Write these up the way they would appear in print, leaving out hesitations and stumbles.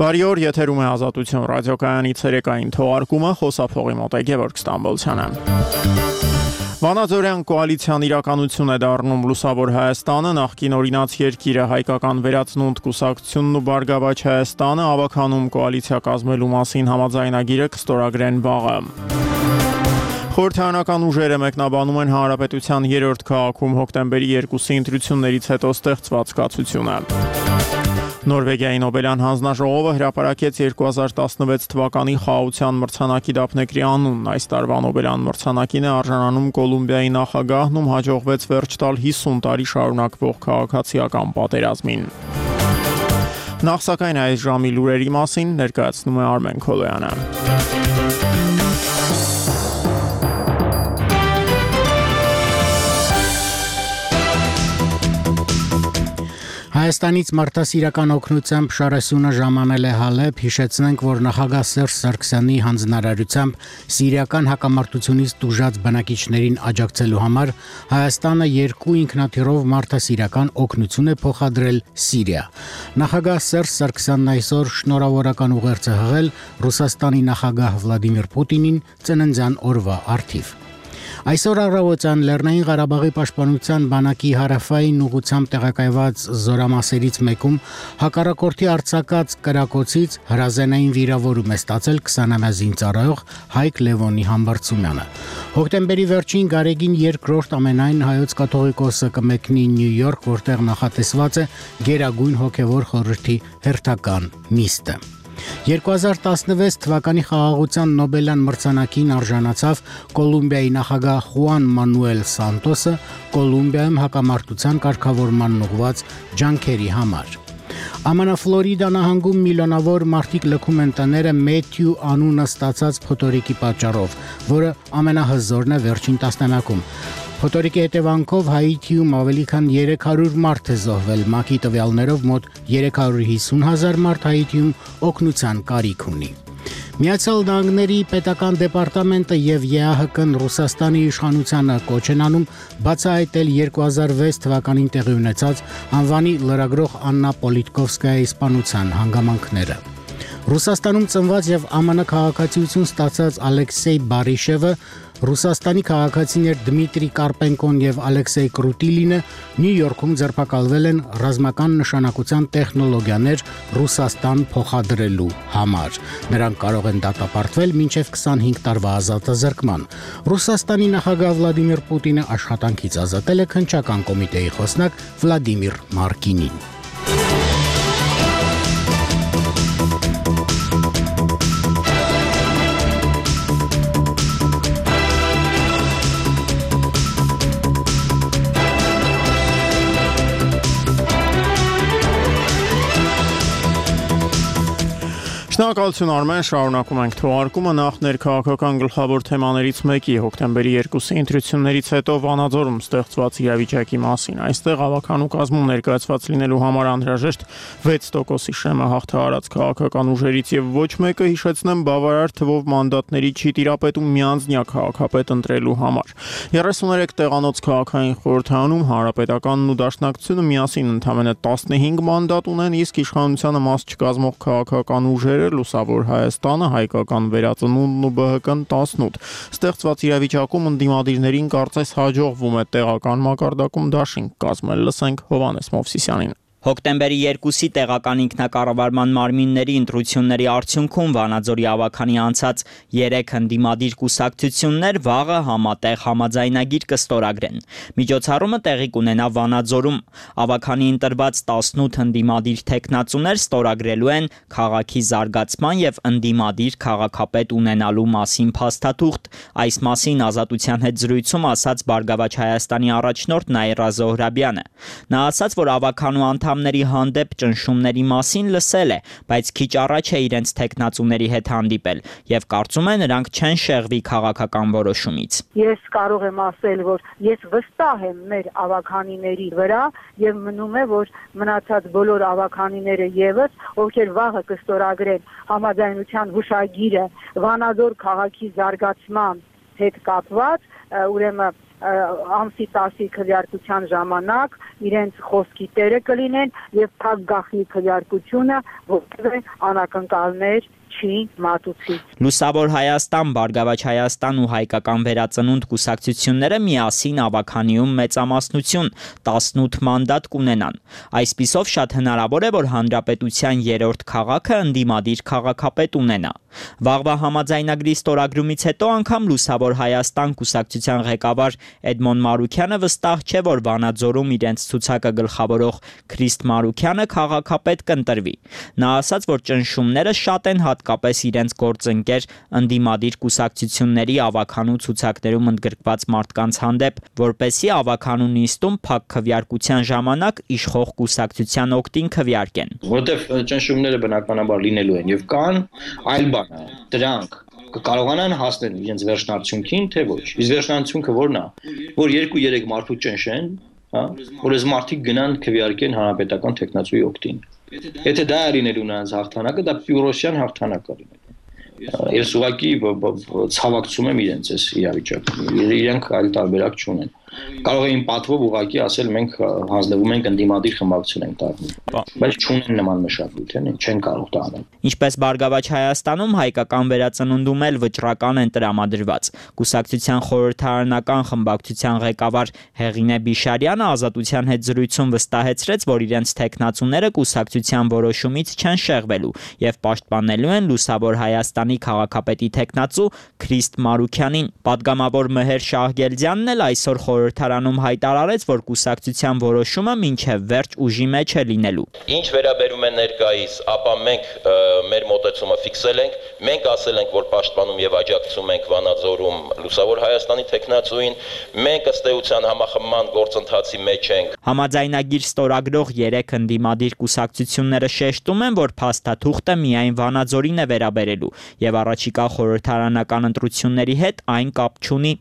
Բարի օր, եթերում է Ազատություն ռադիոկայանի ցերեկային թողարկումը, խոսափողի մոտ է Գևորգ Ստամբոլցյանը։ Վանաձորյան կոալիցիան իրականություն է դառնում Լուսավոր Հայաստանը, նախկին օրինաց երկիրը, հայկական վերածնունդ կուսակցությունն ու Բարգավաճ Հայաստանը ավականում կոալիցիա կազմելու մասին համաձայնագիրը կստորագրեն վաղը։ Խորհրդարանական ուժերը մեկնաբանում են Հանրապետության 3-րդ քաղաքում հոկտեմբերի 2-ի ընտրություններից հետո ստեղծված կացությունը։ Նորվեգիայի Նոբելյան հանձնաժողովը հրապարակեց 2016 թվականի խաղաղության մրցանակի դափնեկրի անունն։ Այս տարվա Նոբելյան մրցանակին է արժանանում Կոլումբիայի նախագահն, ում հաջողվեց վերջ տալ 50 տարի շարունակվող քաղաքացիական պատերազմին։ Նախ սակայն այս ժամի լուրերի մասին ներկայացնում է Արմեն Քոլոյանը։ Հայաստանից մարդասիրական օգնությամբ Շարասյունը ժամանել է Հալեբ, հիշեցնենք, որ նախագահ Սերժ Սարգսյանի հանձնարարությամբ սիրիական հակամարտությունից տուժած բնակիչներին աջակցելու համար Հայաստանը 2 ինքնաթիռով մարդասիրական օգնություն է փոխադրել Սիրիա։ Նախագահ Սերժ Սարգսյանն այսօր շնորհավորական ուղերձ է հղել Ռուսաստանի նախագահ Վլադիմիր Պուտինին ծննդյան օրվա առթիվ։ Այսօր առավոտյան Լեռնային Ղարաբաղի պաշտպանության բանակի հարավային ուղղությամբ տեղակայված զորամասերից մեկում հակառակորդի արձակած կրակոցից հրազենային վիրավորում է ստացել 20-ամյա զինծառայող Հայկ Լևոնի Համբարձումյանը։ Հոկտեմբերի վերջին Գարեգին 2-րդ ամենայն հայոց կաթողիկոսը կմեկնի Նյու Յորք, որտեղ նախատեսված է Գերագույն հոգևոր խորհրդի հերթական նիստը։ 2016 թվականի խաղաղության Նոբելյան մրցանակին արժանացավ Կոլումբիայի նախագահ Խուան Մանուել Սանտոսը Կոլումբիայում հակամարտության կարգավորման ուղղված ջանքերի համար։ ԱՄՆ Ֆլորիդա նահանգում միլիոնավոր մարդիկ լքում են տները Մեթյու անունը ստացած փոթորիկի պատճառով, որը ամենահզորն է վերջին տասնամյակում։ Փոթորիկի հետևանքով Հայիթիում ավելի քան 300 մարդ է զոհվել, ՄԱԿ-ի տվյալներով մոտ 350,000 մարդ Հայիթիում օգնության կարիք ունի։ Միացյալ Նահանգների պետական դեպարտամենտը եւ ԵԱՀԿ-ն Ռուսաստանի իշխանությանը կոչ են անում բացահայտել 2006 թվականին տեղի ունեցած անվանի լրագրող Աննա Պոլիտկովսկայայի սպանության հանգամանքները։ Ռուսաստանում ծնված եւ ԱՄՆ քաղաքացիություն ստացած Ալեքսեյ Բարիշևը, Ռուսաստանի քաղաքացիներ Դմիտրի Կարպենկոն եւ Ալեքսեյ Կրուտիլինը Նյու Յորքում ձերբակալվել են ռազմական նշանակության տեխնոլոգիաներ Ռուսաստան փոխադրելու համար։ Նրանք կարող են դատապարտվել մինչև 25 տարվա ազատազրկման։ Ռուսաստանի նախագահ Վլադիմիր Պուտինը աշխատանքից ազատել է քննչական կոմիտեի խոսնակ Վլադիմիր Մարկինին։ Շնորհակալություն Արմեն, շարունակում ենք թողարկումը նախ ներքաղաքական գլխավոր թեմաներից մեկի հոկտեմբերի 2-ի ընտրություններից հետո Վանաձորում ստեղծված իրավիճակի մասին։ Այստեղ ավականու կազմում ներկայացված լինելու համար անհրաժեշտ 6%-ի շեմը հաղթահարած քաղաքական ուժերից եւ ոչ մեկը, հիշեցնեմ, բավարար թվով մանդատների չի տիրապետում միանձնյա քաղաքապետ ընտրելու համար։ 33 տեղանոց քաղաքային խորհրդարանում Հանրապետականն ու Դաշնակցությունը միասին ընդամենը 15 մանդատ ունեն, իսկ իշխանությանը մաս չկազմող քաղաքական ուժերը Լուսավոր Հայաստանը, հայկական վերածնունդն ու ԲՀԿ-ն 18։ Ստեղծված իրավիճակում ընդդիմադիրներին կարծես հաջողվում է տեղական մակարդակում դաշինք կազմել։ Լսենք Հովհաննես Մովսիսյանին։ Հոկտեմբերի 2-ի տեղական ինքնակառավարման մարմինների ընտրությունների արդյունքում Վանաձորի ավաքանի անցած 3 ընդդիմադիր կուսակցություններ վաղը համատեղ համաձայնագիր կստորագրեն։ Միջոցառումը տեղի կունենա Վանաձորում։ Ավաքանի ընտրված 18 ընդդիմադիր թեկնածուներ ստորագրելու են քաղաքի զարգացման եւ ընդդիմադիր քաղաքապետ ունենալու մասին փաստաթուղթ։ Այս մասին Ազատության հետ զրույցում ասաց Բարգավաճ Հայաստանի առաջնորդ Նաիրա Զոհրաբյանը։ Նա ասաց, որ ավականու անդամների հանդեպ ճնշումների մասին լսել է, բայց քիչ առաջ է իրենց թեկնածուների հետ հանդիպել եւ կարծում է նրանք չեն շեղվի քաղաքական որոշումից։ Ես կարող եմ ասել, որ ես վստահ եմ մեր ավականիների վրա եւ մնում է, որ մնացած բոլոր ավականիները եւս, ովքեր վաղը կստորագրեն համաձայնության հուշագիրը Վանաձոր քաղաքի զարգացման հետ կապված, ուրեմն ամսի 10-ի քվեարկության ժամանակ իրենց խոսքի տերը կլինեն եւ փակ գախնի քվեարկությունը որևէ անակնկալներ չի մատուցի։ Լուսավոր Հայաստան, Բարգավաճ Հայաստան ու Հայկական վերածնունդ կուսակցությունները միասին ավականիում մեծամասնություն 18 մանդատ կունենան։ Այսպիսով շատ հնարավոր է, որ հանրապետության երրորդ քաղաքը ընդդիմադիր քաղաքապետ ունենա։ Վաղվա համաձայնագրի ստորագրումից հետո անգամ Լուսավոր Հայաստան կուսակցության ղեկավար Էդմոն Մարուքյանը վստահ չէ, որ Վանաձորում իրենց ցուցակը գլխավորող Քրիստ Մարուքյանը քաղաքապետ կընտրվի։ Նա ասաց, որ ճնշումները շատ են հատկապես իրենց գործընկեր ընդդիմադիր կուսակցությունների ավականու ցուցակներում ընդգրկված մարդկանց հանդեպ, որպեսզի ավականու նիստում փակ քվեարկության ժամանակ իշխող կուսակցության օգտին քվեարկեն։ Որտեվ ճնշումները բնականաբար լինելու են եւ կան, այլ բան է, դրանք կկարողանան հասնել իրենց վերջնարդյունքին, թե ոչ։ Իսկ վերջնարդյունքը որն է, որ 2-3 մարդու ճնշեն, հա, որ այս մարդիկ գնան քվեարկեն հանրապետական տեխնացուի օգտին։ Եթե դա է լինելու նրանց հաղթանակը, դա պյուրոսյան հաղթանակ է լինելու։ Ես ուղղակի ցավակցում եմ իրենց այս իրավիճակը։ Իրենք այլ տարբերակ չունեն։ Կարող էին պատվով ուղղակի ասել մենք հանձնվում ենք ընդդիմադիր խմբակցություն ենք դառնում, բայց չունեն նման մշակույթ, չեն կարող դա անել։ Ինչպես Բարգավաճ Հայաստանում Հայկական վերածնունդում էլ վճռական են տրամադրված։ Կուսակցության խորհրդարանական խմբակցության ղեկավար Հեղինե Բիշարյանը Ազատության հետ զրույցում վստահեցրեց, որ իրենց տեխնացուները կուսակցության որոշումից չեն շեղվելու եւ պաշտպանելու են Լուսավոր Հայաստանի քաղաքապետի տեխնացու Քրիստ Մարուքյանին։ Պատգամավոր Մհեր Շահգելդյանն էլ այսօր խորհրդարանում հայտարարեց, որ կուսակցության որոշումը մինչև վերջ ուժի մեջ է լինելու։ Ինչ վերաբերում է ներկայիս, ապա մենք մեր մոտեցումը ֆիքսել ենք, մենք ասել ենք, որ պաշտպանում եւ աջակցում ենք Վանաձորում Լուսավոր Հայաստանի տեխնացուին, մենք ըստ էության համախմբման գործընթացի մեջ ենք։ Համաձայնագիր ստորագրող 3 ընդդիմադիր կուսակցությունները շեշտում են, որ փաստաթուղթը միայն Վանաձորին է վերաբերելու եւ առաջիկա խորհրդարանական ընտրությունների հետ այն կապ չունի։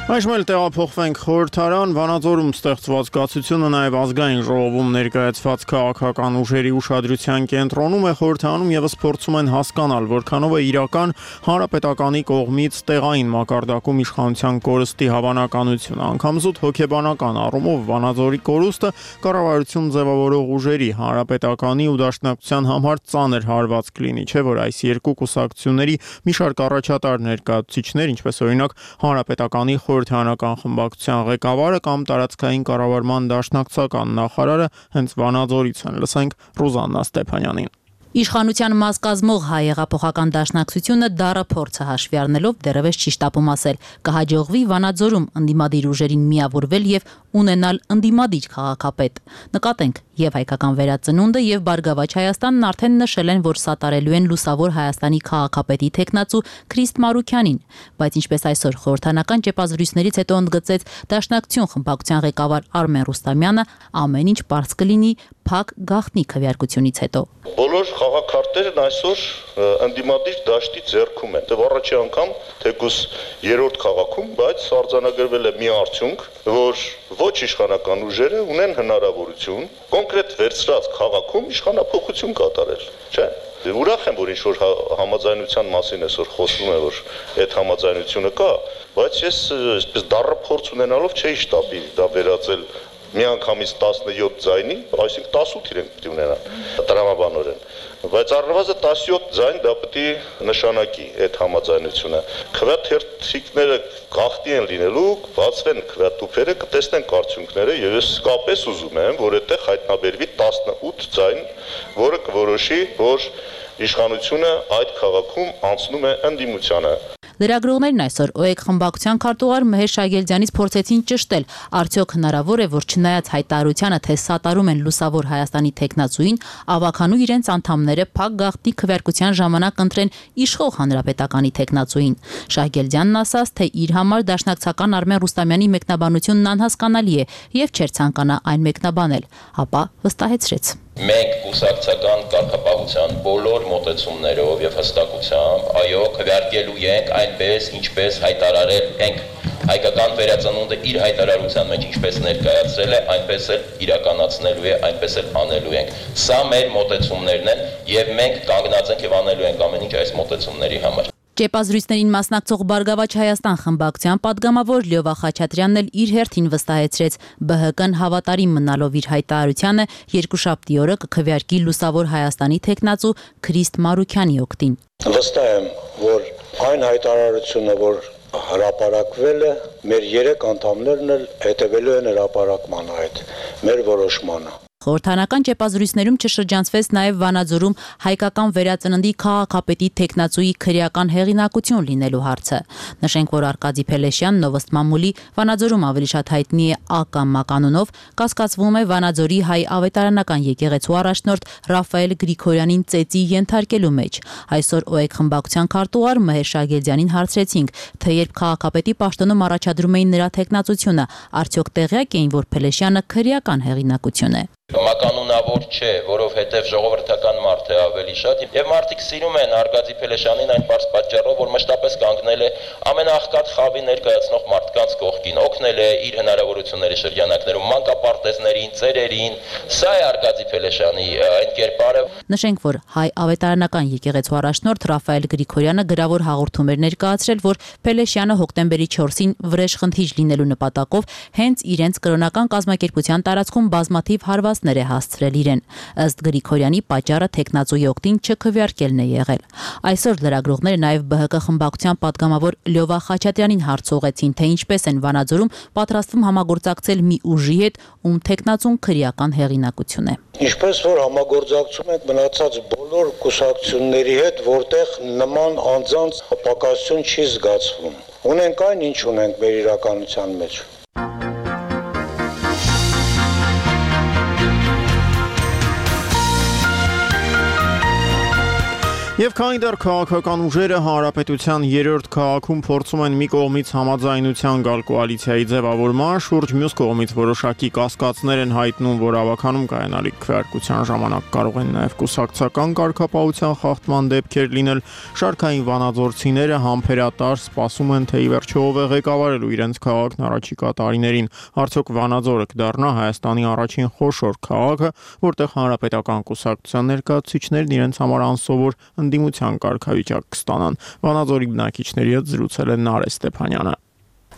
Այժմ էլ տեղափոխվենք խորհրդարան, Վանաձորում ստեղծված կացությունը նաև ազգային ժողովում ներկայացված քաղաքական ուժերի ուշադրության կենտրոնում է, խորհրդարանում եւս փորձում են հասկանալ, որքանով է իրական հանրապետականի կողմից տեղային մակարդակում իշխանության կորստի հավանականությունը, անգամ զուտ հոգեբանական առումով Վանաձորի կորուստը կառավարություն ձևավորող ուժերի հանրապետականի ու դաշնակցության համար ծանր հարված կլինի, չէ՞ որ այս երկու կուսակցությունների մի շարք առաջատար ներկայացուցիչներ, ինչպես օրինակ հանրապետականի խորհրդարանական խմբակցության ղեկավարը կամ տարածքային կառավարման դաշնակցական նախարարը հենց Վանաձորից են։ Լսենք Ռուզաննա Ստեփանյանին։ Իշխանության մաս կազմող հայ հեղափոխական դաշնակցությունը դառը փորձը հաշվի առնելով դեռևս չի շտապում ասել կհաջողվի Վանաձորում ընդդիմադիր ուժերին միավորվել եւ ունենալ ընդդիմադիր քաղաքապետ։ Նկատենք, եւ Հայկական վերածնունդը եւ Բարգավաճ Հայաստանն արդեն նշել են, որ սատարելու են Լուսավոր Հայաստանի քաղաքապետի տեխնացու Քրիստ Մարուքյանին, բայց ինչպես այսօր խորհրդարանական ճեպազրույցներից հետո ընդգծեց Դաշնակցություն խմբակցության ղեկավար Արմեն Ռուստամյանը, ամեն ինչ պարզ կլինի փակ գաղտնի քվեարկությունից հետո։ Բոլոր խաղաքարտերն այսօր ընդդիմադիր դաշտի ձեռքում են։ Դե առաջի անգամ թեկուս երրորդ քաղաքում, բայց արձանագրվել է մի արդյունք, որ ոչ իշխանական ուժերը ունեն հնարավորություն կոնկրետ վերցրած քաղաքում իշխանափոխություն կատարել, չէ՞։ Ուրախ եմ, որ ինչ-որ համաձայնության մասին այսօր խոսվում է, որ այդ համաձայնությունը կա, բայց ես այսպես դառը փորձ ունենալով չէի շտապի դա վերածել միանգամից 17 ձայնի, այսինքն 18 իրենք պետք է ունենան տրամաբանորեն, բայց առնվազն 17 ձայն դա պետք է նշանակի այդ համաձայնությունը։ Քվեաթերթիկները գաղտնի են լինելու, բացվեն քվեատուփերը, կտեսնենք արդյունքները եւ ես իսկապես ուզում եմ, որ այդտեղ հայտնաբերվի 18 ձայն, որը կորոշի, որ իշխանությունը այդ քաղաքում անցնում է ընդդիմությանը։ Լրագրողներն այսօր ՕԵԿ խմբակցության քարտուղար Մհեր Շահգելդյանից փորձեցին ճշտել, արդյոք հնարավոր է, որ չնայած հայտարարությանը, թե սատարում են Լուսավոր Հայաստանի տեխնացուին, ավականու իրենց անդամները փակ գաղտնի քվեարկության ժամանակ ընտրեն իշխող հանրապետականի տեխնացուին։ Շահգելդյանն ասաց, թե իր համար դաշնակցական Արմեն Ռուստամյանի մեկնաբանությունն անհասկանալի է եւ չէր ցանկանա այն մեկնաբանել, ապա վստահեցրեց. Մենք կուսակցական կարգապահության բոլոր մոտեցումներով եւ հստակությամբ, այո, քվեարկելու ենք այնպես, ինչպես հայտարարել ենք հայկական վերածնունդը իր հայտարարության մեջ ինչպես ներկայացրել է, այնպես էլ իրականացնելու է, այնպես էլ անելու ենք։ Սա մեր մոտեցումներն են եւ մենք կանգնած ենք եւ անելու ենք ամեն ինչ այս մոտեցումների համար։ Ճեպազրույցներին մասնակցող Բարգավաճ Հայաստան խմբակցության падգամավոր Լյովա Խաչատրյանն էլ իր հերթին վստահեցրեց ԲՀԿ-ն հավատարիմ մնալով իր հայտարարությանը երկուշաբթի օրը կքվեարկի Լուսավոր Հայաստանի թեկնածու Քրիստ Մարուքյանի օգտին։ Վստահ եմ, որ այն հայտարարությունը, որ հրապարակվել է, մեր 3 անդամներն էլ հետևելու են հրապարակման այդ մեր որոշմանը։ Խորհրդանական ճեպազրույցներում չշրջանցվեց նաև Վանաձորում հայկական վերածննդի քաղաքապետի թեկնածուի քրեական հեղինակություն լինելու հարցը։ Նշենք, որ Արկադի Փելեշյան Նովոստ Մամուլի Վանաձորում ավելի շատ հայտնի է ԱԿՄ կանոնով, կասկածվում է Վանաձորի հայ ավետարանական եկեղեցու առաջնորդ Ռաֆայել Գրիգորյանին ծեծի ենթարկելու մեջ։ Այսօր ՕԵԿ խմբակցության քարտուղար Մհեր Շագելդյանին հարցրեցինք, թե երբ քաղաքապետի պաշտոնում առաջադրում էին նրա թեկնածությունը, արդյոք տեղյակ էին, որ Փելեշյանը քրեական հեղինակություն է։ Մականունավոր չէ, որովհետև ժողովրդական մարդ է ավելի շատ եւ մարդիկ սիրում են Արկադի Փելեշյանին այն բարձ պատճառով, որ մշտապես կանգնել է ամենաաղքատ խավի ներկայացնող մարդկանց կողքին, օգնել է իր հնարավորությունների շրջանակներում մանկապարտեզներին, ծերերին, սա է Արկադի Փելեշյանի այն կերպարը։ Նշենք, որ հայ ավետարանական եկեղեցու առաջնորդ Ռաֆայել Գրիգորյանը գրավոր հաղորդում էր ներկայացրել, որ Փելեշյանը հոկտեմբերի 4-ին վրեժխնդիր լինելու նպատակով հենց իրենց կրոնական կազմակերպության տարածքում բազմաթիվ հարվածներ է հասցրել իրեն։ Ըստ Գրիգորյանի պատճառը թեկնածուի օգտին չքվեարկելն է եղել։ Այսօր լրագրողները նաև ԲՀԿ խմբակցության падգամավոր Լյովա Խաչատրյանին հարց ուղղեցին, թե ինչպես են Վանաձորում պատրաստվում համագործակցել մի ուժի հետ, ում թեկնածուն քրեական հեղինակություն է։ Ինչպես որ համագործակցում ենք մնացած բոլոր կուսակցությունների հետ, որտեղ նման անձանց պակասություն չի զգացվում։ Ունենք այն, ինչ ունենք մեր իրականության մեջ։ Եվ քանի դեռ քաղաքական ուժերը հանրապետության 3-րդ քաղաքում փորձում են մի կողմից համաձայնության գալ կոալիցիայի ձևավորման, շուրջ մյուս կողմից որոշակի կասկածներ են հայտնում, որ ավականում կայանալիք քվեարկության ժամանակ կարող են նաև կուսակցական կարգապահության խախտման դեպքեր լինել, շարքային վանաձորցիները համբերատար սպասում են, թե ի վերջո ով է ղեկավարելու իրենց քաղաքն առաջիկա տարիներին, արդյոք Վանաձորը կդառնա Հայաստանի առաջին խոշոր քաղաքը, որտեղ հանրապետական կուսակցության ներկայացուցիչներն իրենց համար անսովոր ընդդիմության կարգավիճակ կստանան։ Վանաձորի բնակիչների հետ զրուցել է Նարէ Ստեփանյանը։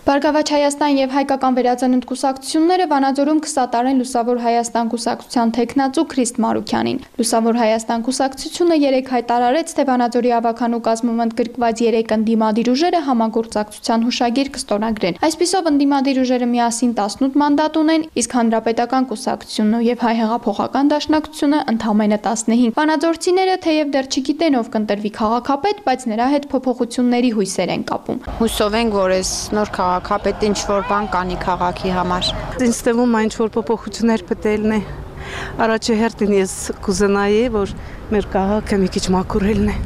Բարգավաճ Հայաստան եւ հայկական վերածնունդ կուսակցությունները Վանաձորում կսատարեն Լուսավոր Հայաստան կուսակցության թեկնածու Քրիստ Մարուքյանին։ Լուսավոր Հայաստան կուսակցությունը 3 հայտարարեց, թե Վանաձորի ավականու կազմում ընդգրկված 3 ընդդիմադիր ուժերը համագործակցության հուշագիր կստորագրեն։ Այսպիսով ընդդիմադիր ուժերը միասին 18 մանդատ ունեն, իսկ հանրապետական կուսակցությունն եւ Հայ հեղափոխական դաշնակցությունը ընդամենը 15։ Վանաձորցիները թեև դեռ չգիտեն ով կընտրվի քաղաքապետ, բայց նրա հետ փոփոխությունների հույսեր են կապում։ Հուսով ենք, որ այս նոր քաղաքապետ ինչ որ բան կանի քաղաքի համար։ Ինձ թվում է ինչ որ փոփոխություններ պետելն է։ Առաջի հերթին ես կուզենայի, որ մեր քաղաքը մի քիչ մաքուրելն է։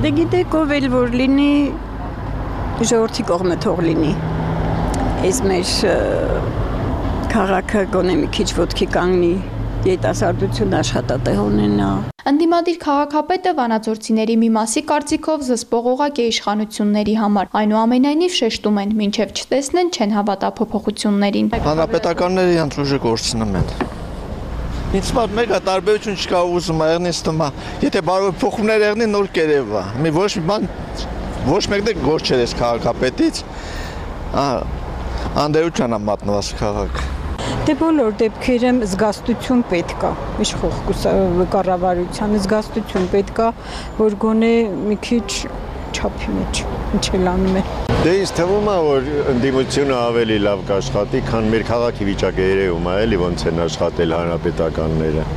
Դե գիտեք ով էլ որ լինի, ժողովրդի կողմը թող լինի։ Այս մեր քաղաքը գոնե մի քիչ ոտքի կանգնի, երիտասարդություն աշխատատեղ ունենա։ Ընդդիմադիր քաղաքապետը վանաձորցիների մի մասի կարծիքով զսպող օղակ է իշխանությունների համար։ Այնուամենայնիվ շեշտում են, մինչև չտեսնեն, չեն հավատա փոփոխություններին։ Հանրապետականները իրենց ուժը կորցնում են։ Ինձ մոտ մեկ տարբերություն չկա ուզում եղնից թվում է, եթե բարով փոխումներ եղնի նոր կերևա։ Մի ոչ մի բան ոչ մեկն էլ գործ չէր այս քաղաքապետից։ Անդերության է մատնված քաղաքը։ Դե բոլոր դեպքերում զգաստություն պետք է, իշխող կառավարության զգաստություն պետք է, որ գոնե մի քիչ չափի մեջ ինչ էլ անում է։ Դե ինձ թվում է, որ ընդդիմությունը ավելի լավ կաշխատի, քան մեր քաղաքի վիճակը երևում է, էլի ոնց են աշխատել հանրապետականները։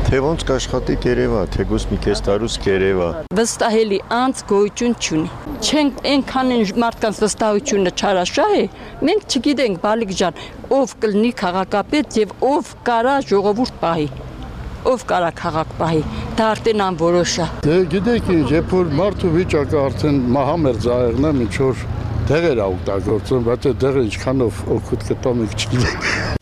Թե ոնց կաշխատի կերևա, թեկուզ մի քեզ տարուց կերևա։ Վստահելի անձ գոյություն չունի։ Չենք այնքան մարդկանց վստահությունը չարաշահ է, մենք չգիտենք բալիկ ջան, ով կլինի քաղաքապետ եւ ով կարա ժողովուրդ պահի, ով կարա քաղաք պահի, դա արդեն անորոշ է։ Դե գիտեք ինչ, երբ որ մարդու վիճակը արդեն մահամերձ աղեղն է, ինչ որ դեղեր է օգտագործում, բայց այդ դեղը ինչքանով օգուտ կտա մենք չգիտենք։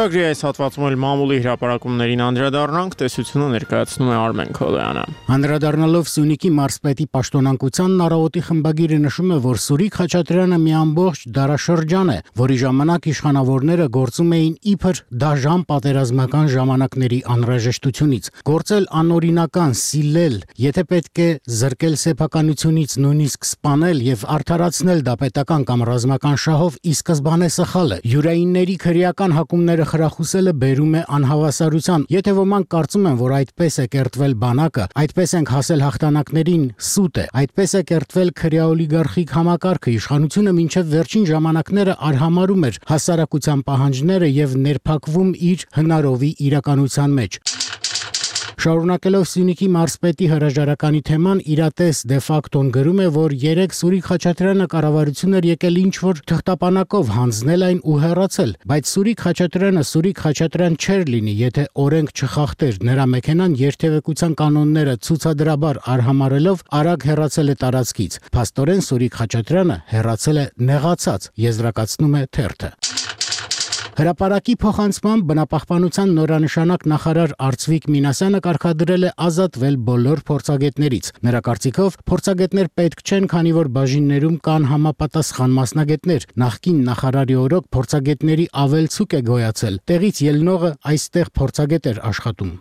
Ծրագրի այս հատվածում էլ մամուլի հրապարակումներին անդրադառնանք, տեսությունը ներկայացնում է Արմեն Քոլոյանը։ Անդրադառնալով Սյունիքի մարզպետի պաշտոնանկությանն առավոտի խմբագիրը նշում է, որ Սուրիկ Խաչատրյանը մի ամբողջ դարաշրջան է, որի ժամանակ իշխանավորները գործում էին իբր դաժան պատերազմական ժամանակների անհրաժեշտությունից, գործել անօրինական, սիլել, եթե պետք է զրկել սեփականությունից, նույնիսկ սպանել եւ արդարացնել դա պետական կամ ռազմական շահով ի սկզբանե սխալ է։ Յուրայինների քրեական հակումները խրախուսելը բերում է անհավասարության։ Եթե ոմանք կարծում են, որ այդպես է կերտվել բանակը, այդպես ենք հասել հաղթանակներին, սուտ է։ Այդպես է կերտվել քրեաօլիգարխիկ համակարգը, իշխանությունը մինչև վերջին ժամանակները արհամարում էր հասարակության պահանջները եւ ներփակվում իր հնարովի իրականության մեջ։ Շարունակելով Սյունիքի մարզպետի հրաժարականի թեման, իրատես դե ֆակտոն գրում է, որ երեք Սուրիկ Խաչատրյանը կառավարություն էր եկել ինչ-որ թղթապանակով հանձնել այն ու հեռացել, բայց Սուրիկ Խաչատրյանը Սուրիկ Խաչատրյան չէր լինի, եթե օրենք չխախտեր, նրա մեքենան երթևեկության կանոնները ցուցադրաբար արհամարելով արագ հեռացել է տարածքից։ Փաստորեն Սուրիկ Խաչատրյանը հեռացել է նեղացած, եզրակացնում է թերթը։ Հրապարակի փոխանցմամբ բնապահպանության նորանշանակ նախարար Արծվիկ Մինասյանը կարգադրել է ազատվել բոլոր փորձագետներից։ Նրա կարծիքով փորձագետներ պետք չեն, քանի որ բաժիններում կան համապատասխան մասնագետներ։ Նախկին նախարարի օրոք փորձագետների ավելցուկ է գոյացել։ Տեղից ելնողը այստեղ փորձագետ էր աշխատում։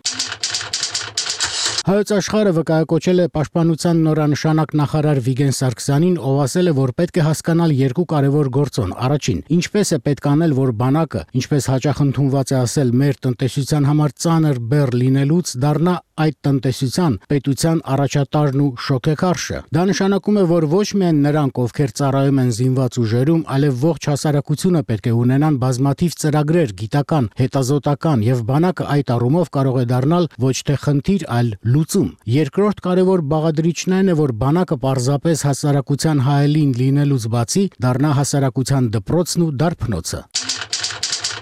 Հայոց աշխարհը վկայակոչել է պաշտպանության նորանշանակ նախարար Վիգեն Սարգսյանին, ով ասել է, որ պետք է հասկանալ երկու կարևոր գործոն։ Առաջին, ինչպես է պետք անել, որ բանակը, ինչպես հաճախ ընդունված է ասել, մեր տնտեսության համար ծանր բեռ լինելուց դառնա այդ տնտեսության պետության առաջատարն ու շոքեքարշը։ Դա նշանակում է, որ ոչ միայն նրանք, ովքեր ծառայում են զինված ուժերում, այլև ողջ հասարակությունը պետք է ունենան բազմաթիվ ծրագրեր, գիտական, հետազոտական, եւ բանակը այդ առումով կարող է դառնալ ոչ թե խնդիր, այլ լուծում։ Երկրորդ կարևոր բաղադրիչն այն է, որ բանակը պարզապես հասարակության հայելին լինելուց բացի դառնա հասարակության դպրոցն ու դարբնոցը։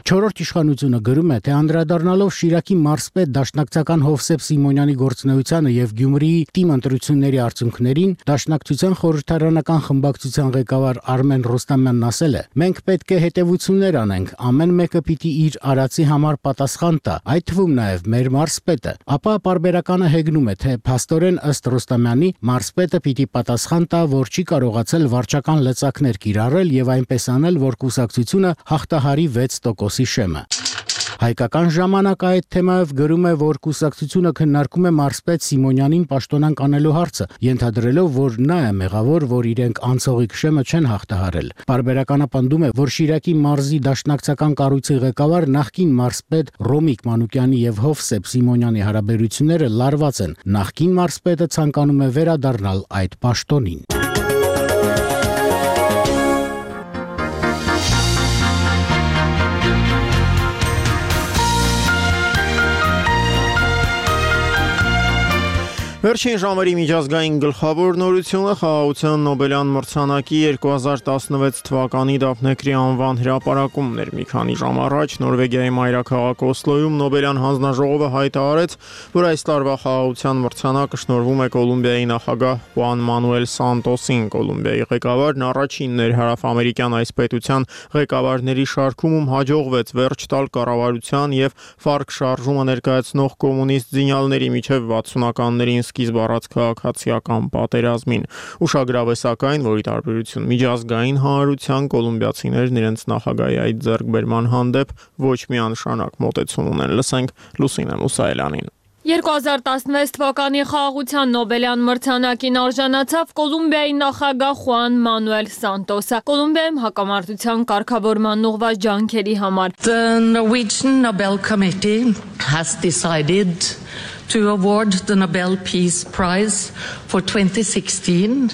Չորրորդ իշխանությունը գրում է, թե անդրադառնալով Շիրակի մարզպետ դաշնակցական Հովսեփ Սիմոնյանի գործունեությանը եւ Գյումրիի թիմ ընտրությունների արդյունքներին, Դաշնակցության խորհրդարանական խմբակցության ղեկավար Արմեն Ռուստամյանն ասել է. «Մենք պետք է հետևություններ անենք, ամեն մեկը պիտի իր արածի համար պատասխան տա, այդ թվում նաեւ մեր մարզպետը»։ Ապա պարբերականը հեգնում է, թե փաստորեն ըստ Ռուստամյանի մարզպետը պիտի պատասխան տա, որ չի կարողացել վարչական լծակներ կիրառել եւ այնպես անել, որ կուսակցությունը հաղթահարի 6% շեմը։ Հայկական ժամանակ այդ թեմայով գրում է, որ կուսակցությունը քննարկում է մարզպետ Սիմոնյանին պաշտոնանկ անելու հարցը, ենթադրելով, որ նա է մեղավոր, որ իրենք անցողիկ շեմը չեն հաղթահարել։ Պարբերականը պնդում է, որ Շիրակի մարզի դաշնակցական կառույցի ղեկավար նախկին մարզպետ Ռոմիկ Մանուկյանի եւ Հովսեփ Սիմոնյանի հարաբերությունները լարված են։ Նախկին մարզպետը ցանկանում է վերադառնալ այդ պաշտոնին։ Վերջին ժամերի միջազգային գլխավոր նորությունը խաղաղության Նոբելյան մրցանակի 2016 թվականի Դափնեկրի անվան հրապարակումն էր։ Մի քանի ժամ առաջ Նորվեգիայի մայրաքաղաք Օսլոյում Նոբելյան հանձնաժողովը հայտարարեց, որ այս տարվա խաղաղության մրցանակը շնորհվում է Կոլումբիայի նախագահ Խուան Մանուել Սանտոսին։ Կոլումբիայի ղեկավարն առաջինն էր հարավամերիկյան այս պետության ղեկավարների շարքում, ում հաջողվեց վերջ տալ կառավարության եւ FARC շարժումը ներկայացնող կոմունիստ զինյալների միջև 60-ականներին սկիզբ առած քաղաքացիական պատերազմին։ Ուշագրավ է սակայն, որ ի տարբերություն միջազգային հանրության կոլումբիացիներն իրենց նախագահի այդ ձեռքբերման հանդեպ ոչ միանշանակ մոտեցում ունեն։ Լսենք Լուսինե Մուսայելյանին։ 2016 թվականի խաղաղության Նոբելյան մրցանակին արժանացավ Կոլումբիայի նախագահ Խուան Մանուել Սանտոսը Կոլումբիայում հակամարտության կարգավորման ուղղված ջանքերի համար։ The Norwegian Nobel Committee has decided to award the Nobel Peace Prize for 2016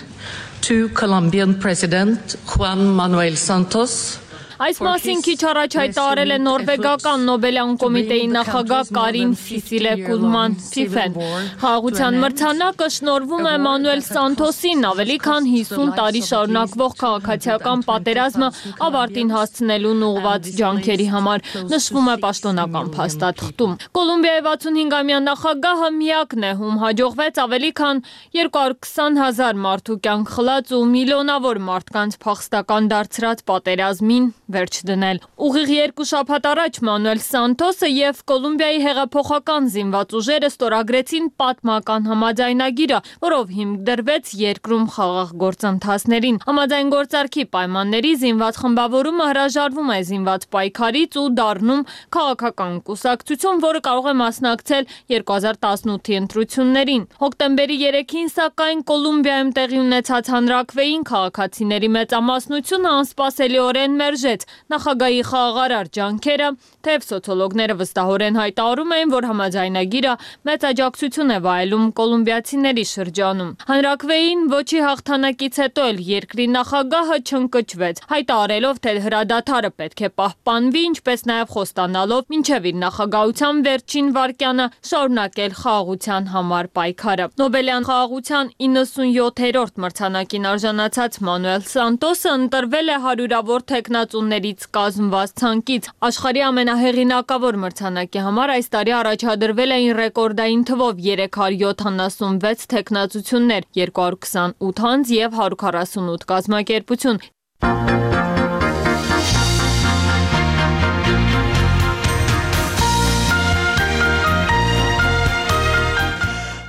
to Colombian President Juan Manuel Santos. Այս մասին քիչ առաջ հայտարարել է նորվեգական Նոբելյան կոմիտեի նախագահ Կարին Սիսիլե Կուլման Ֆիֆեն։ Խաղաղության մրցանակը շնորհվում է Մանուել Սանտոսին ավելի քան 50 տարի շարունակվող քաղաքացիական պատերազմը ավարտին հասցնելուն ուղղված ջանքերի համար, նշվում է պաշտոնական փաստաթղթում։ Կոլումբիայի 65-ամյա նախագահը միակն է, ում հաջողվեց ավելի քան 220,000 մարդու կյանք խլած ու միլիոնավոր մարդկանց փախստական դարձրած պատերազմին վերջ դնել։ Ուղիղ 2 շաբաթ առաջ Մանուել Սանթոսը եւ Կոլումբիայի հեղափոխական զինված ուժերը ստորագրեցին պատմական համաձայնագիրը, որով հիմք դրվեց երկրում խաղաղ գործընթացներին։ Համաձայնգործարքի պայմանների զինված խմբավորումը հրաժարվում է զինված պայքարից ու դառնում քաղաքական կուսակցություն, որը կարող է մասնակցել 2018-ի ընտրություններին։ Հոկտեմբերի 3-ին, սակայն, Կոլումբիայում տեղի ունեցած հանրաքվեին քաղաքացիների մեծամասնությունը անսպասելիորեն մերժեց նախագահի խաղաղարար ջանքերը, թեև սոցիոլոգները վստահորեն հայտարարում էին, որ համաձայնագիրը մեծ աջակցություն է վայելում կոլումբիացիների շրջանում։ Հանրաքվեին ոչի հաղթանակից հետո էլ երկրի նախագահը չընկճվեց, հայտարարելով, թե հրադադարը պետք է պահպանվի, ինչպես նաև խոստանալով մինչև իր նախագահության վերջին վայրկյանը շարունակել խաղաղության համար պայքարը։ Նոբելյան խաղաղության 97-րդ մրցանակին արժանացած Մանուել Սանտոսը ընտրվել է հարյուրավոր թեկնածուներից կազմված ցանկից։ Աշխարհի ամենահեղինակավոր մրցանակի համար այս տարի առաջադրվել էին ռեկորդային թվով 376 թեկնածություններ, 228 անձ եւ 148 կազմակերպություն։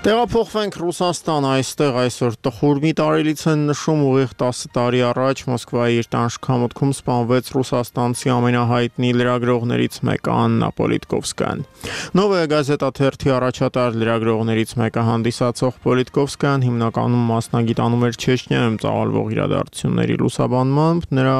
Տեղափոխվենք Ռուսաստան, այստեղ այսօր տխուր մի տարելից են նշում, ուղիղ 10 տարի առաջ Մոսկվայի իր տանջքամուտքում սպանվեց ռուսաստանցի ամենահայտնի լրագրողներից մեկը Աննա Պոլիտկովսկայան։ Նովոյա գազետա թերթի առաջատար լրագրողներից մեկը հանդիսացող Պոլիտկովսկայան հիմնականում մասնագիտանում էր Չեչնիայում ծավալվող իրադարձությունների լուսաբանմամբ, նրա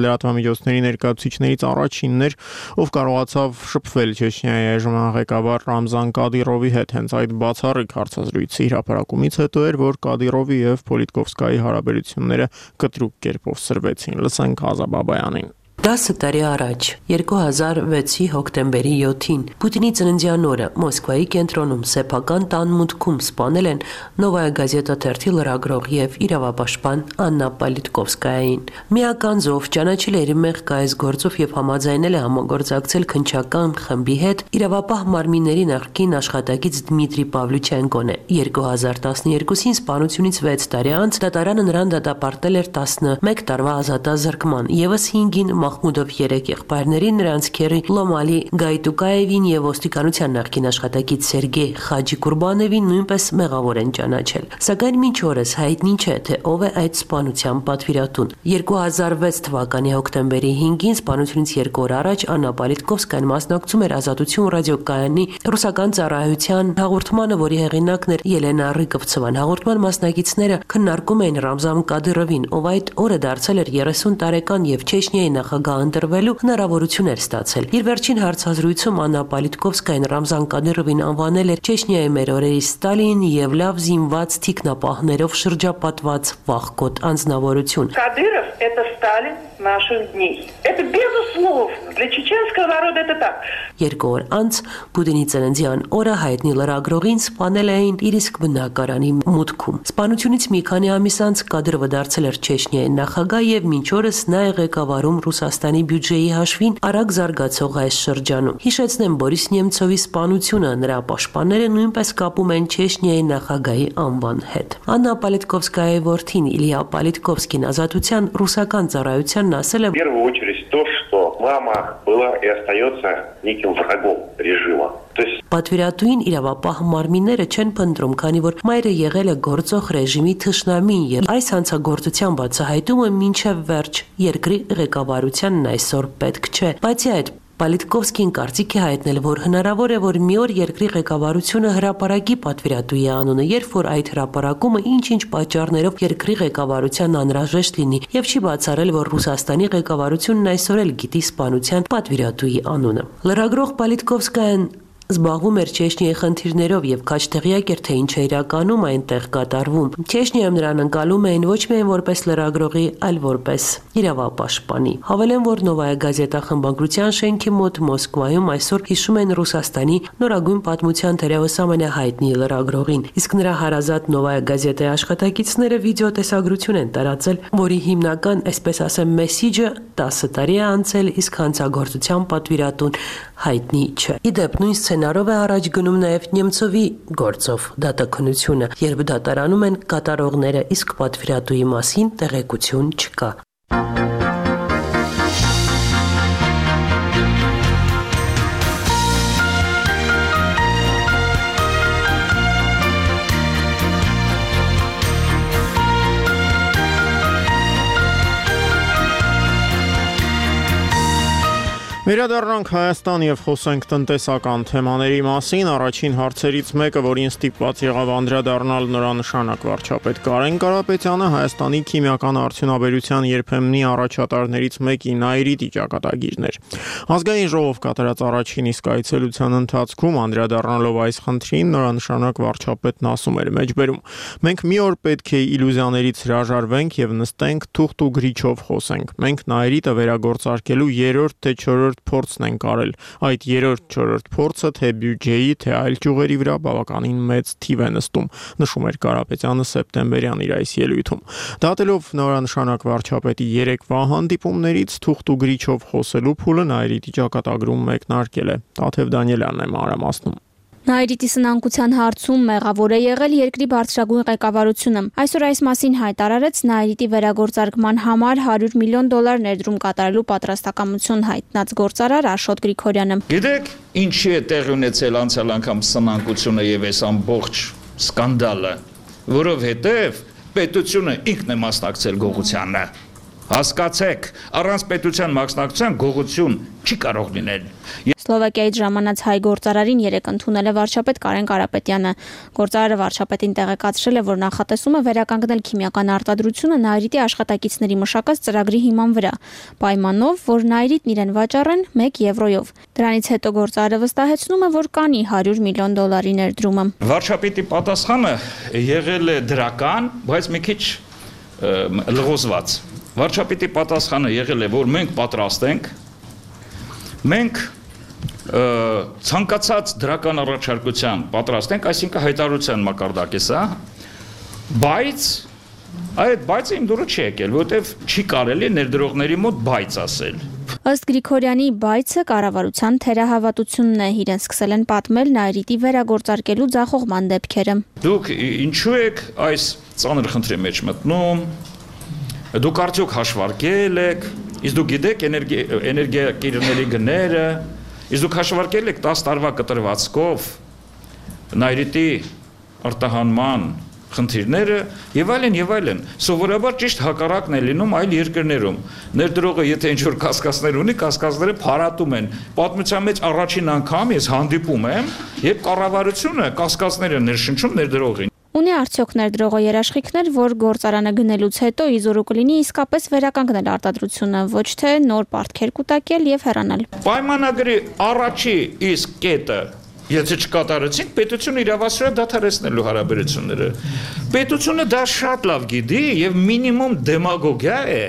լրատվամիջոցների ներկայացուցիչներից առաջինն էր, ով կարողացավ շփվել Չեչնիայի այժմյան ղեկավար Ռամզան Կադիրովի հետ, հենց այդ բացառիկ հարցազրույցի հրապարակումից հետո էր, որ Կադիրովի եւ Պոլիտկովսկայի հարաբերությունները կտրուկ կերպով սրվեցին։ Լսենք Ազա Բաբայանին։ 10 տարի առաջ, 2006-ի հոկտեմբերի 7-ին, Պուտինի ծննդյան օրը Մոսկվայի կենտրոնում սեփական տան մուտքում սպանել են Նովոյա գազետա թերթի լրագրող եւ իրավապաշտպան Աննա Պոլիտկովսկայային։ Միականձով ճանաչել է իր մեղքայից գործով եւ համաձայնել է համագործակցել քննչական խմբի հետ իրավապահ մարմինների նախկին աշխատակից Դմիտրի Պավլուչենկոն է։ 2012-ին սպանությունից 6 տարի անց դատարանը նրան դատապարտել էր 11 տարվա ազատազրկման, եւս 5-ին Մախմուդով 3 եղբայրներին, նրանց քերի Լոմալի Գայտուկաևին եւ ոստիկանության նախկին աշխատակից Սերգեյ Խաջիկուրբանովին նույնպես մեղավոր են ճանաչել։ Սակայն մինչ օրս հայտնի չէ, թե ով է այդ սպանության պատվիրատուն։ 2006 թվականի հոկտեմբերի 5-ին սպանությունից 2 օր առաջ Աննա Պոլիտկովսկայան մասնակցում էր Ազատություն ռադիոկայանի ռուսական ծառայության հաղորդմանը, որի հեղինակն էր Ելենա Ռիկովցովան։ Հաղորդման մասնակիցները քննարկում էին Ռամզան Կադիրովին, ով այդ օրը դարձել էր 30 տարեկան եւ Չեչնիայի նախագահ ընտրվելու հնարավորություն էր ստացել։ Իր վերջին հարցազրույցում Աննա Պոլիտկովսկայան Ռամզան Կադիրովին անվանել էր Չեչնիայի մեր օրերի Ստալին եւ լավ զինված թիկնապահներով շրջապատված վախկոտ անձնավորություն։ Кадыров – это Сталин наших дней. Это безусловно. Для чеченского народа это так. 2 օր անց Պուտինի ծննդյան օրը հայտնի լրագրողին սպանել էին իր իսկ բնակարանի մուտքում։ Սպանությունից մի քանի ամիս անց Կադիրովը դարձել էր Չեչնիայի նախագահ եւ մինչ օրս նա է ղեկավարում Ռուսաստանի բյուջեի հաշվին արագ զարգացող այս շրջանում։ Հիշեցնեմ, Բորիս Նեմցովի սպանությունը նրա պաշտպանները նույնպես կապում են Չեչնիայի նախագահի անվան հետ։ Աննա Պոլիտկովսկայի որդին Իլիա Պոլիտկովսկին Ազատության ռուսական ծառայությանն ասել է. В первую очередь то, что мама была и остается неким врагом режима. Պատվիրատուին իրավապահ մարմինները չեն փնտրում, քանի որ մայրը եղել է գործող ռեժիմի թշնամին եւ այս հանցագործության բացահայտումը մինչեւ վերջ երկրի ղեկավարությանն այսօր պետք չէ։ Բացի այդ, Պոլիտկովսկին կարծիք է հայտնել, որ հնարավոր է, որ մի օր երկրի ղեկավարությունը հրապարակի պատվիրատուի անունը, երբ որ այդ հրապարակումը ինչ-ինչ պատճառներով երկրի ղեկավարության անհրաժեշտ լինի, եւ չի բացառել, որ Ռուսաստանի ղեկավարությունն այսօր էլ գիտի սպանության պատվիրատուի անունը։ Լրագրող Պոլիտկովսկայան զբաղվում էր Չեչնիայի խնդիրներով եւ քաջ տեղյակ էր, թե ինչ է իրականում այնտեղ կատարվում։ Չեչնիայում նրան ընկալում էին ոչ միայն որպես լրագրողի, այլ որպես իրավապաշտպանի։ Հավելեմ, որ Նովոյա գազետա խմբագրության շենքի մոտ Մոսկվայում այսօր հիշում են Ռուսաստանի նորագույն պատմության թերևս ամենահայտնի լրագրողին, իսկ նրա հարազատ Նովոյա գազետայի աշխատակիցները վիդեոտեսագրություն են տարածել, որի հիմնական, այսպես ասեմ, մեսիջը 10 տարի է անցել, իսկ հանցագործության պատվիրատուն հայտնի չէ։ Իդեպ նույն սցենարով է առաջ գնում նաև Նեմցովի գործով դատաքննությունը, երբ դատարանում են կատարողները, իսկ պատվիրատուի մասին տեղեկություն չկա։ Վերադառնանք Հայաստան եւ խոսենք տնտեսական թեմաների մասին։ Առաջին հարցերից մեկը, որին ստիպված եղավ անդրադառնալ նորանշանակ վարչապետ Կարեն Կարապետյանը, Հայաստանի քիմիական արդյունաբերության երբեմնի առաջատարներից մեկի Նայիրիտի ճակատագիրն էր։ Ազգային ժողով կատարած առաջին իսկ այցելության ընթացքում անդրադառնալով այս խնդրին, նորանշանակ վարչապետն ասում էր մեջբերում. «Մենք մի օր պետք է իլյուզիաներից հրաժարվենք եւ նստենք թուղթ ու գրիչով խոսենք։ Մենք Նայիրիտը վերագործարկելու երրորդ թե չորրորդ փորձն ենք արել։ Այդ երրորդ-չորրորդ փորձը թե բյուջեի, թե այլ ճյուղերի վրա բավականին մեծ թիվ է նստում», նշում էր Կարապետյանը սեպտեմբերյան իր այս ելույթում։ Դատելով նորանշանակ վարչապետի երեկվա հանդիպումներից թուղթ ու գրիչով խոսելու փուլը Նայիրիտի ճակատագրում մեկնարկել է։ Տաթև Դանիելյանն է մանրամասնում։ Նայիրիտի սնանկության հարցում մեղավոր է եղել երկրի բարձրագույն ղեկավարությունը։ Այսօր այս մասին հայտարարեց Նայիրիտի վերագործարկման համար $100 միլիոն ներդրում կատարելու պատրաստակամություն հայտնած գործարար Աշոտ Գրիգորյանը։ Գիտեք, ինչի է տեղի ունեցել անցյալ անգամ սնանկությունը եւ այս ամբողջ սկանդալը, որովհետեւ պետությունը ինքն է մասնակցել գողությանը։ Հասկացեք, առանց պետության մասնակցության գողություն չի կարող լինել։ Սլովակիայից ժամանած հայ գործարարին երեկ ընդունել է վարչապետ Կարեն Կարապետյանը։ Գործարարը վարչապետին տեղեկացրել է, որ նախատեսում է վերականգնել քիմիական արտադրությունը Նայիրիտի աշխատակիցների մշակած ծրագրի հիման վրա, պայմանով, որ Նայիրիտն իրեն վաճառեն 1 եվրոյով։ Դրանից հետո գործարարը վստահեցնում է, որ կանի $100 միլիոն ներդրումը։ Վարչապետի պատասխանը եղել է դրական, բայց մի քիչ լղոզված։ Վարչապետի պատասխանը եղել է, որ մենք պատրաստ ենք, մենք ցանկացած դրական առաջարկության պատրաստ ենք, այսինքն հայտարարության մակարդակ է սա, բայց այդ բայցը իմ դուրը չի եկել, որովհետև չի կարելի ներդրողների մոտ բայց ասել։ Ըստ Գրիգորյանի բայցը կառավարության թերահավատությունն է, իրեն սկսել են պատմել Նայիրիտի վերագործարկելու ձախողման դեպքերը։ Դուք ինչու եք այս ծանր խնդրի մեջ մտնում։ Դուք արդյոք հաշվարկել եք, իսկ դուք գիտեք էներգիակիրների գները, իսկ դուք հաշվարկել եք 10 տարվա կտրվածքով Նայիրիտի արտահանման խնդիրները եւ այլն։ Սովորաբար ճիշտ հակառակն է լինում այլ երկրներում։ Ներդրողը եթե ինչ-որ կասկածներ ունի, կասկածները փարատում են։ Պատմության մեջ առաջին անգամ ես հանդիպում եմ, երբ կառավարությունը կասկածները ներշնչում ներդրողին։ Ունի արդյոք ներդրողը երաշխիքներ, որ գործարանը գնելուց հետո իզորու կլինի իսկապես վերականգնել արտադրությունը, ոչ թե նոր պարտքեր կուտակել եւ հեռանալ։ Պայմանագրի առաջի իսկ կետը, եթե չկատարեցինք, պետությունը իրավասու է դադարեցնելու հարաբերությունները։ Պետությունը դա շատ լավ գիտի եւ մինիմում դեմագոգիա է,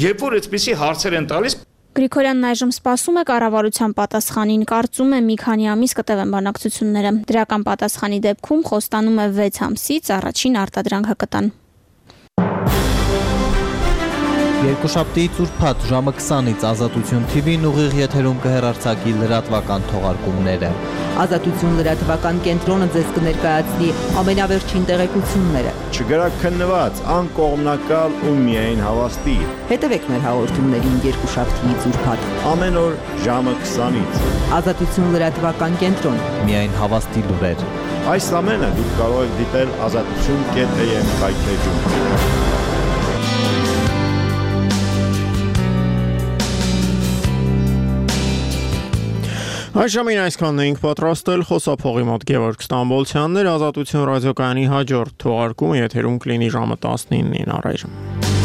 երբ որ այդպիսի հարցեր են տալիս։ Գրիգորյանն այժմ սպասում է կառավարության պատասխանին, կարծում է մի քանի ամիս կտևեն բանակցությունները։ Դրական պատասխանի դեպքում խոստանում է 6 ամսից առաջին արտադրանքը կտան։ Երկուշաբթի ծուրփաթ ժամը 20-ից Ազատություն TV-ն ուղիղ եթերում կհեռարձակի լրատվական թողարկումները։ Ազատություն լրատվական կենտրոնը ձեզ կներկայացնի ամենավերջին տեղեկությունները։ Չգրաքննված, անկողմնակալ ու միայն հավաստի։ Հետևեք մեր հաղորդումներին երկուշաբթի ծուրփաթ։ Ամեն օր ժամը 20-ից։ Ազատություն լրատվական կենտրոն։ Միայն հավաստի լուրեր։ Այս ամենը դուք կարող եք դիտել azatutun.am կայքեջում։ Այժմին այսքանն էինք պատրաստել, խոսափողի մոտ Գևորգ Ստամբոլցյանն էր, Ազատություն ռադիոկայանի հաջորդ թողարկումը եթերում կլինի ժամը 19-ին առայժմ։